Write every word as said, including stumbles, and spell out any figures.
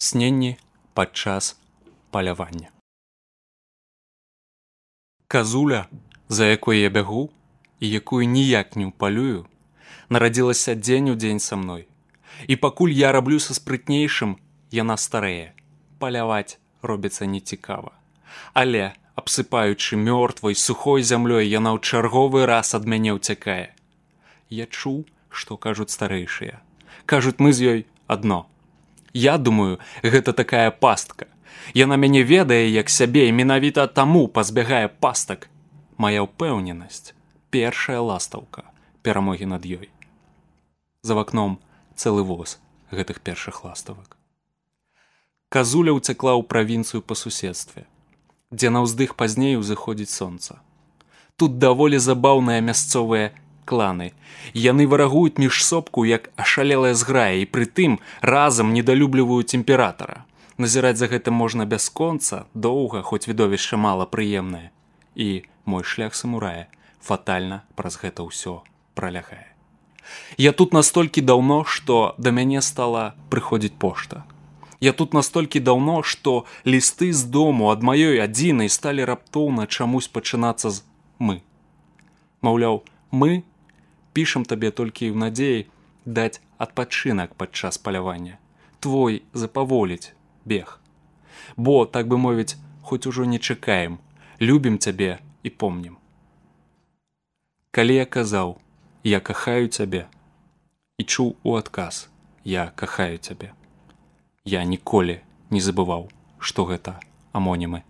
Сненні падчас палявання. Казуля, за якой я бягу і якую ніяк не ўпалюю, нарадзілася дзень у дзень са мной. І пакуль я раблю са спрытнейшым, яна старэе. Паляваць робіцца нецікава. Але, абсыпаючы мёртвай, сухой зямлёй, яна ў чарговы раз ад мяне ўцякае. Я чуў, што кажуць старэйшыя. Кажуць, мы з ёй адно. Я думаю, гэта такая пастка. Яна мяне ведае як сябе і менавіта таму пазбягае пастак. Мая ўпэўненасць – першая ластаўка перамогі над ёй. За вакном цэлы воз гэтых першых ластавак. Казуля ўцякла ў правінцыю па суседстве, дзе на ўздых пазней узыходзіць сонца. Тут даволі забаўныя мясцовыя кланы. Яны варагуюць між сопку, як ашалелая зграя, і прытым разам недалюбліваюць імператара. Назіраць за гэтым можна бясконца, доўга, хоць відовішча мала прыемнае. І мой шлях самурая фатальна праз гэта ўсё пралягае. Я тут настолькі даўно, што да мяне стала прыходзіць пошта. Я тут настолькі даўно, што лісты з дому ад маёй адзінай сталі раптоўна чамусь пачынацца з «мы». Маўляў, мы пішам табе толькі ў надзеі даць адпачынак падчас палявання. Твой запаволіць бег. Бо, так бы мовіць, хоць ужо не чакаем, любім цябе і помнім. Калі я казаў, я кахаю цябе, і чуў у адказ, я кахаю цябе, я ніколі не забываў, што гэта амонімы.